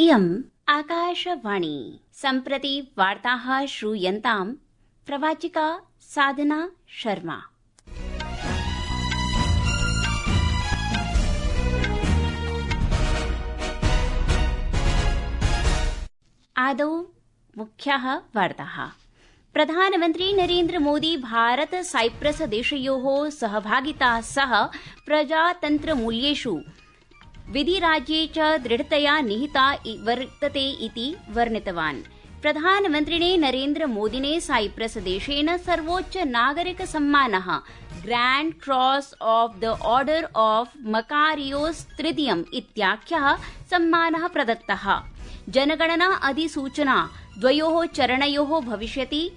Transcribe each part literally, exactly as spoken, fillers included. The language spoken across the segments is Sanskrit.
इयम् आकाशवाणी। सम्प्रति वार्ताः श्रूयन्ताम् प्रवाचिका साधना शर्मा। आदौ मुख्याः वार्ताः। प्रधानमन्त्री नरेन्द्र मोदी भारत साइप्रस देशयोः सहभागिता सह प्रजातन्त्रमूल्येषु विधिराज्ये च दृढतया निहिता वर्तते इति वर्णितवान्। प्रधानमन्त्रिणे नरेन्द्र मोदिने साइप्रस देशेन सर्वोच्च नागरिक सम्मानः grand cross of the order of Makarios तृतीयम् इत्याख्यः सम्मानः प्रदत्तः। जनगणना अधिसूचना द्वयोः चरणयोः भविष्यति।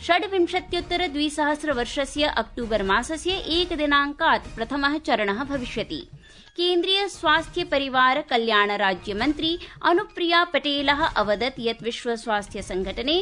षड्विंशत्युत्तर द्विसहस्र वर्षस्य अक्टूबर मासस्य एकदिनाङ्कात् प्रथमः चरणः भविष्यति। केन्द्रीय स्वास्थ्य परिवार कल्याण राज्यमन्त्री अनुप्रिया पटेलः अवदत् यत् विश्व स्वास्थ्य संघटने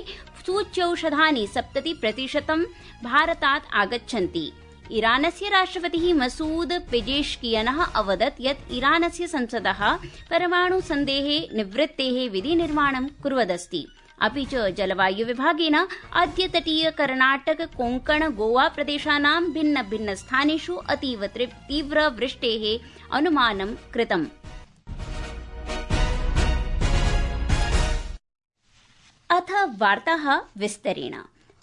सूच्यौषधानि सप्तति प्रतिशतं भारतात् आगच्छन्ति। ईरानस्य राष्ट्रपतिः मसूद पेजेश्कियनः अवदत् यत् ईरानस्य संसदः परमाणु सन्धेः निवृत्तेः विधिनिर्माणं कुर्वदस्ति। अपि च जलवायु विभागेन अद्य तटीय कर्णाटक कोंकण गोवा प्रदेशानां भिन्न भिन्न स्थानेषु अतीव तीव्र वृष्टेः अनुमानं कृतम्। अथ वार्ताः विस्तरेण।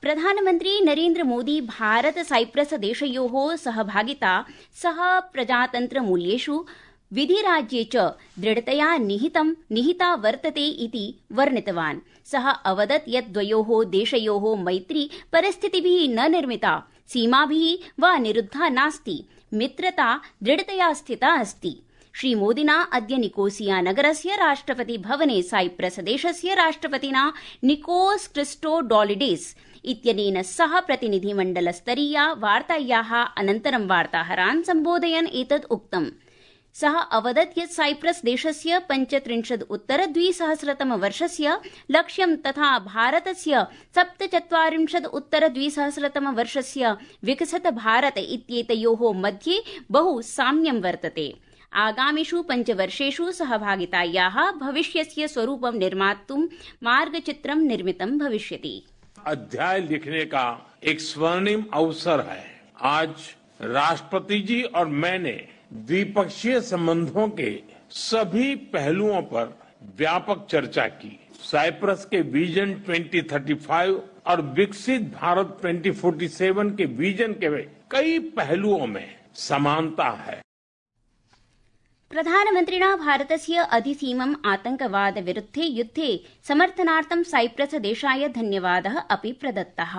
प्रधानमन्त्री नरेन्द्र मोदी भारत साइप्रस देशयोः सहभागिता सह प्रजातन्त्रमूल्येषु विधिराज्ये च दृढतया निहितं निहिता वर्तते इति वर्णितवान्। सः अवदत् यत् द्वयोः देशयोः मैत्री परिस्थितिभिः न निर्मिता, सीमाभिः वा निरुद्धा नास्ति, मित्रता दृढतया स्थिता अस्ति। श्रीमोदिना अद्य निकोसिया नगरस्य राष्ट्रपति भवने साइप्रस देशस्य राष्ट्रपतिना निकोस क्रिस्टोडोलिडेस इत्यनेन सह प्रतिनिधिमण्डलस्तरीया वार्तायाः अनन्तरं वार्ताहरान् सम्बोधयन् एतत् उक्तम्। सः अवदत् यत् साइप्रस देशस्य पञ्चत्रिंशत् उत्तर द्विसहस्रतम वर्षस्य लक्ष्यं तथा भारतस्य सप्तचत्वारिंशत् उत्तर द्विसहस्रतम वर्षस्य विकसित भारत इत्येतयोः मध्ये बहु साम्यं वर्तते। आगामिषु पञ्चवर्षेषु सहभागितायाः भविष्यस्य स्वरूपं निर्मातुं मार्गचित्रं निर्मितं भविष्यति। अध्याय लिखने का एक स्वर्णिम अवसर है। आज राष्ट्रपति जी और मैंने द्विपक्षीय संबंधों के सभी पहलुओं पर व्यापक चर्चा की। साइप्रस के विजन दो हज़ार पैंतीस और विकसित भारत दो हज़ार सैंतालीस के विजन के कई पहलुओं में समानता है। प्रधानमन्त्रिणा भारतस्य अधिसीमम् आतंकवाद विरुद्धे युद्धे समर्थनार्थं साइप्रस देशाय धन्यवादः अपि प्रदत्तः।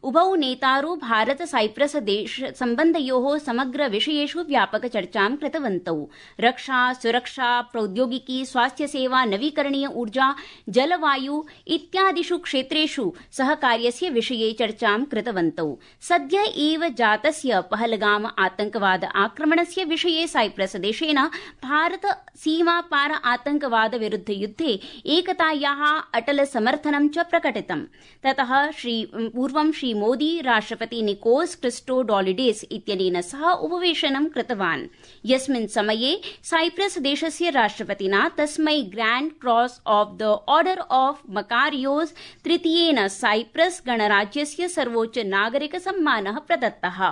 उभौ नेतारौ भारत साइप्रस देश सम्बन्धयोः समग्र विषयेषु व्यापक चर्चां कृतवन्तौ। रक्षा, सुरक्षा, प्रौद्योगिकी, स्वास्थ्य सेवा, नवीकरणीय ऊर्जा, जलवायु इत्यादिषु क्षेत्रेषु सहकार्यस्य विषये चर्चां कृतवन्तौ। सद्य एव जातस्य पहलगाम आतंकवाद आक्रमणस्य विषये साइप्रस देशेन भारत सीमा पार आतंकवाद विरुद्ध युद्धे एकतायाः अटल समर्थनं च प्रकटितम्। ततः श्री पूर्वं श्री मोदी राष्ट्रपति निकोस क्रिस्टोडोलिडेस इत्यनेन सह उपवेशनं कृतवान्, यस्मिन् समये साइप्रस देशस्य राष्ट्रपतिना तस्मै grand cross of the order of Makarios तृतीयेन साइप्रस गणराज्यस्य सर्वोच्च नागरिक सम्मानः प्रदत्तः।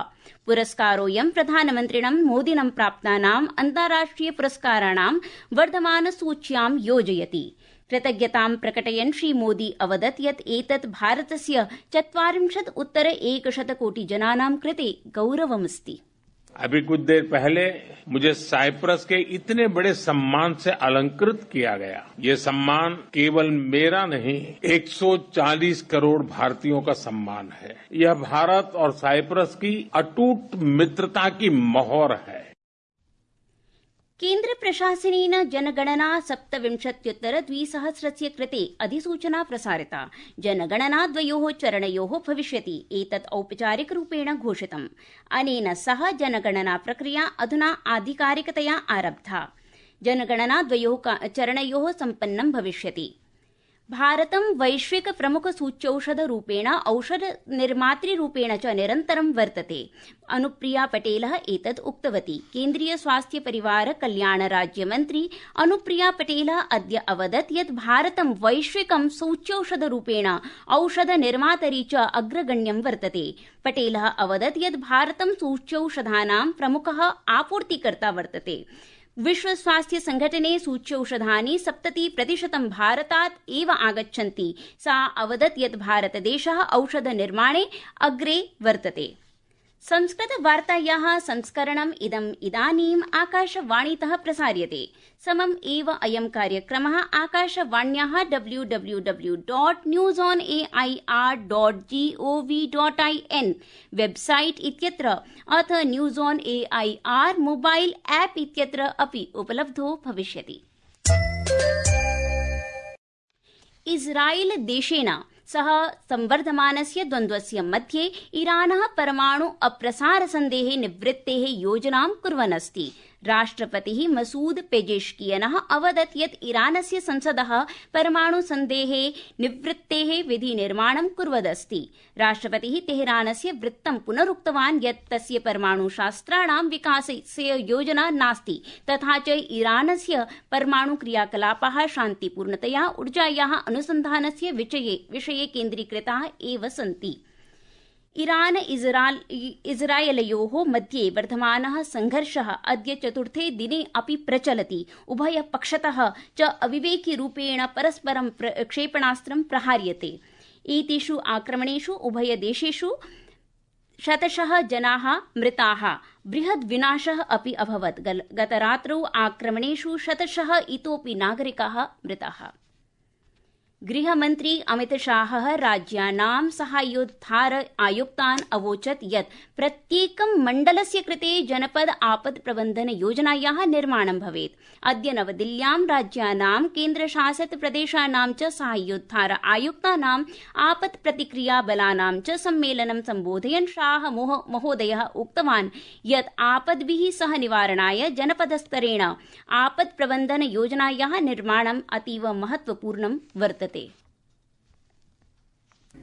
पुरस्कारोऽयं प्रधानमन्त्रिणं मोदिनं प्राप्तानाम् अन्ताराष्ट्रिय पुरस्काराणां वर्धमानसूच्यां योजयति। कृतज्ञतां प्रकटयन् श्री मोदी अवदत् यत् एतत् भारतस्य चत्वारिंशत् उत्तर एकशत कोटि जनानां कृते गौरवमस्ति। अभी कुछ देर पहले मुझे साइप्रस के इतने बड़े सम्मान से अलंकृत किया गया। ये सम्मान केवल मेरा नहीं, एक सौ चालीस करोड़ भारतीयों का सम्मान है। यह भारत और साइप्रस की अटूट मित्रता की मोहर है। केन्द्र प्रशासनेन जनगणना सप्तविंशत्युत्तर द्विसहस्रस्य कृते अधिसूचना प्रसारिता। जनगणना द्वयोः चरणयोः भविष्यति। एतत् औपचारिकरूपेण घोषितम्। अनेन सह जनगणना प्रक्रिया अधुना आधिकारिकतया आरब्धा। जनगणना द्वयोः चरणयोः सम्पन्नं भविष्यति। भारतं वैश्विक प्रमुख सूच्यौषधरूपेण औषध निर्मातृरूपेण च निरन्तरं वर्तते। अनुप्रिया पटेलः एतत् उक्तवती। केन्द्रीय स्वास्थ्य परिवार कल्याण राज्यमन्त्री अनुप्रिया पटेलः अद्य अवदत् यत् भारतं वैश्विकं सूच्यौषधरूपेण औषध निर्मातरी च अग्रगण्यं वर्तते। पटेलः अवदत् यत् भारतं सूच्यौषधानां प्रमुखः आपूर्तिकर्ता वर्तते। विश्व स्वास्थ्य संघटने सूच्यौषधानि सप्तति प्रतिशतं भारतात् एव आगच्छन्ति। सा अवदत् यत् भारतदेशः औषध निर्माणे अग्रे वर्तते। संस्कृत वार्तायाः संस्करणम् इदम् इदानीम् आकाशवाणीतः प्रसार्यते। समम् एव अयं कार्यक्रमः आकाशवाण्याः W W W dot news on A I R dot G O V dot I N website इत्यत्र अथ news on A I R mobile app इत्यत्र अपि उपलब्धो भविष्यति। इस्राएल देशेन सह संवर्धमानस्य द्वन्द्वस्य मध्ये ईरानः परमाणु अप्रसारसन्धेः निवृत्तेः योजनां कुर्वन् अस्ति। राष्ट्रपतिः मसूद पेजेश्कियनः अवदत् यत् ईरानस्य संसदः परमाणुसन्धेः निवृत्तेः विधिनिर्माणं कुर्वदस्ति। राष्ट्रपतिः तेहरानस्य वृत्तं पुनरुक्तवान् यत् तस्य परमाणुशास्त्राणां विकासस्य योजना नास्ति, तथा च ईरानस्य परमाणुक्रियाकलापाः शान्तिपूर्णतया ऊर्जायाः अनुसन्धानस्य विषये केन्द्रीकृताः एव सन्ति। ईरान इस्राएलयोः मध्ये वर्धमानः संघर्षः अद्य चतुर्थे दिने अपि प्रचलति। उभयपक्षतः च अविवेकिरूपेण परस्परं क्षेपणास्त्रं प्रहार्यते। एतेषु आक्रमणेषु उभयदेशेषु शतशः जनाः मृताः, बृहद् विनाशः अपि अभवत्। गतरात्रौ आक्रमणेषु शतशः इतोपि नागरिकाः मृताः। गृहमन्त्री अमितशाहः राज्यानां साहाय्योद्धार आयुक्तान् अवोचत् यत् प्रत्येकं मण्डलस्य कृते जनपद आपद प्रबन्धन योजनायाः निर्माणं भवेत्। अद्य नवदिल्ल्यां राज्यानां केन्द्रशासित प्रदेशानां च साहाय्योद्धार आयुक्तानाम् आपद प्रतिक्रिया बलानां च सम्मेलनं सम्बोधयन् शाह महोदयः उक्तवान् यत् आपद्भिः सह निवारणाय जनपदस्तरेण आपद प्रबन्धन योजनायाः निर्माणम् अतीव महत्वपूर्णं वर्तते।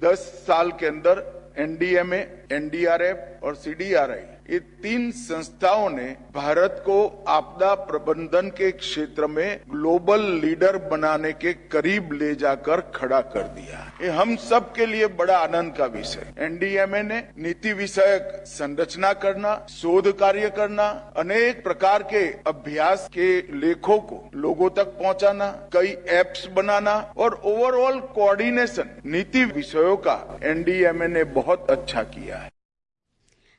दस साल के अंदर एनडीएमए, एनडीआरएफ और सीडीआरआई ये तीन संस्थाओं ने भारत को आपदा प्रबंधन के क्षेत्र में ग्लोबल लीडर बनाने के करीब ले जाकर खड़ा कर दिया। ये हम सब के लिए बड़ा आनंद का विषय। एनडीएमए ने नीति विषयक संरचना करना, शोध कार्य करना, अनेक प्रकार के अभ्यास के लेखों को लोगों तक पहुंचाना, कई एप्स बनाना और ओवरऑल कोऑर्डिनेशन नीति विषयों का एनडीएमए ने बहुत अच्छा किया है।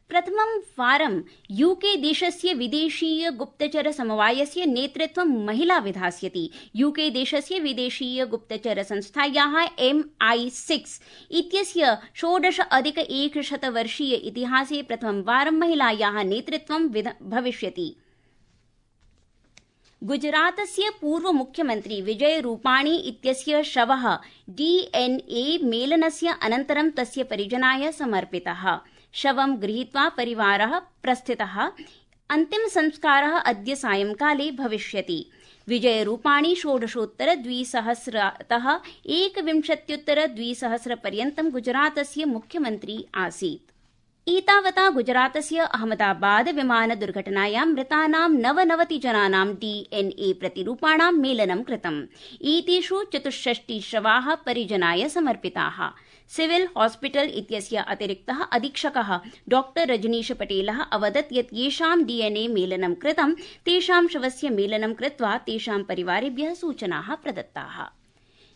प्रथमं वारं यूके देशस्य विदेशीय गुप्तचर समवायस्य नेतृत्वं महिला विधास्यति। यूके देशस्य विदेशीय गुप्तचर संस्थायाः एम आई सिक्स इत्यस्य षोडश अधिक एकशत वर्षीय इतिहासे प्रथमं वारं महिलायाः नेतृत्वं भविष्यति। गुजरातस्य पूर्व मुख्यमन्त्री विजय रूपाणी इत्यस्य शवः डीएनए मेलनस्य अनन्तरं तस्य परिजनाय समर्पितः। शवं गृहीत्वा परिवारः प्रस्थितः। अन्तिम संस्कारः अद्य सायंकाले भविष्यति। विजय रूपाणी षोडशोत्तर द्विसहस्रतः एकविंशत्युत्तर द्विसहस्र पर्यन्तं गुजरातस्य मुख्यमन्त्री आसीत्। एतावता गुजरातस्य अहमदाबाद विमान दुर्घटनायां मृतानां नवनवति जनानां डीएनए प्रतिरूपाणां मेलनं कृतम्। एतेषु चतुष्षष्टि शवाः परिजनाय समर्पिताः। सिविल हॉस्पिटल इत्यस्य अतिरिक्तः अधीक्षकः डॉक्टर रजनीश पटेलः अवदत् यत् येषां डीएनए मेलनं कृतं तेषां शवस्य मेलनं कृत्वा तेषां परिवारेभ्यः सूचनाः प्रदत्ताः।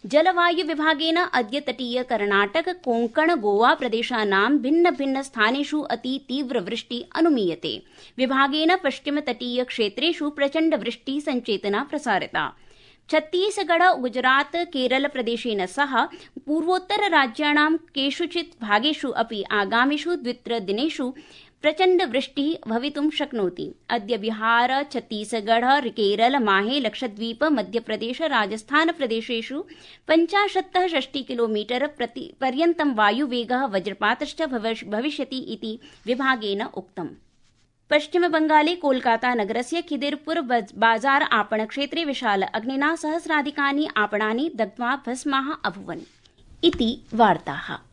जलवायु विभागेन अद्य तटीय कर्णाटक कोंकण गोवा प्रदेशानां भिन्न भिन्न स्थानेषु अति तीव्र वृष्टि अनुमीयते। विभागेन पश्चिम तटीय क्षेत्रेषु प्रचण्ड वृष्टि संचेतना प्रसारिता। छत्तीसगढ़, गुजरात, केरल प्रदेशेन सह पूर्वोत्तर राज्याणां केषुचित् भागेषु अपि आगामिषु द्वित्रदिनेषु प्रचण्ड वृष्टिः भवितुं शक्नोति। अद्य बिहार, छत्तीसगढ़, केरल, माहे, लक्षद्वीप, मध्यप्रदेश, राजस्थान प्रदेशेषु पञ्चाशत्तः षष्टि किलोमीटर पर्यन्तं वायुवेगः वज्रपातश्च भविष्यति इति विभागेन उक्तम्। पश्चिमबंगाले कोलकाता नगरस्य खिदिरपुर बाजार आपणक्षेत्रे विशाल अग्निना सहस्राधिकानि आपणानि दग्ध्वा भस्माः अभूवन्। इति वार्ताः।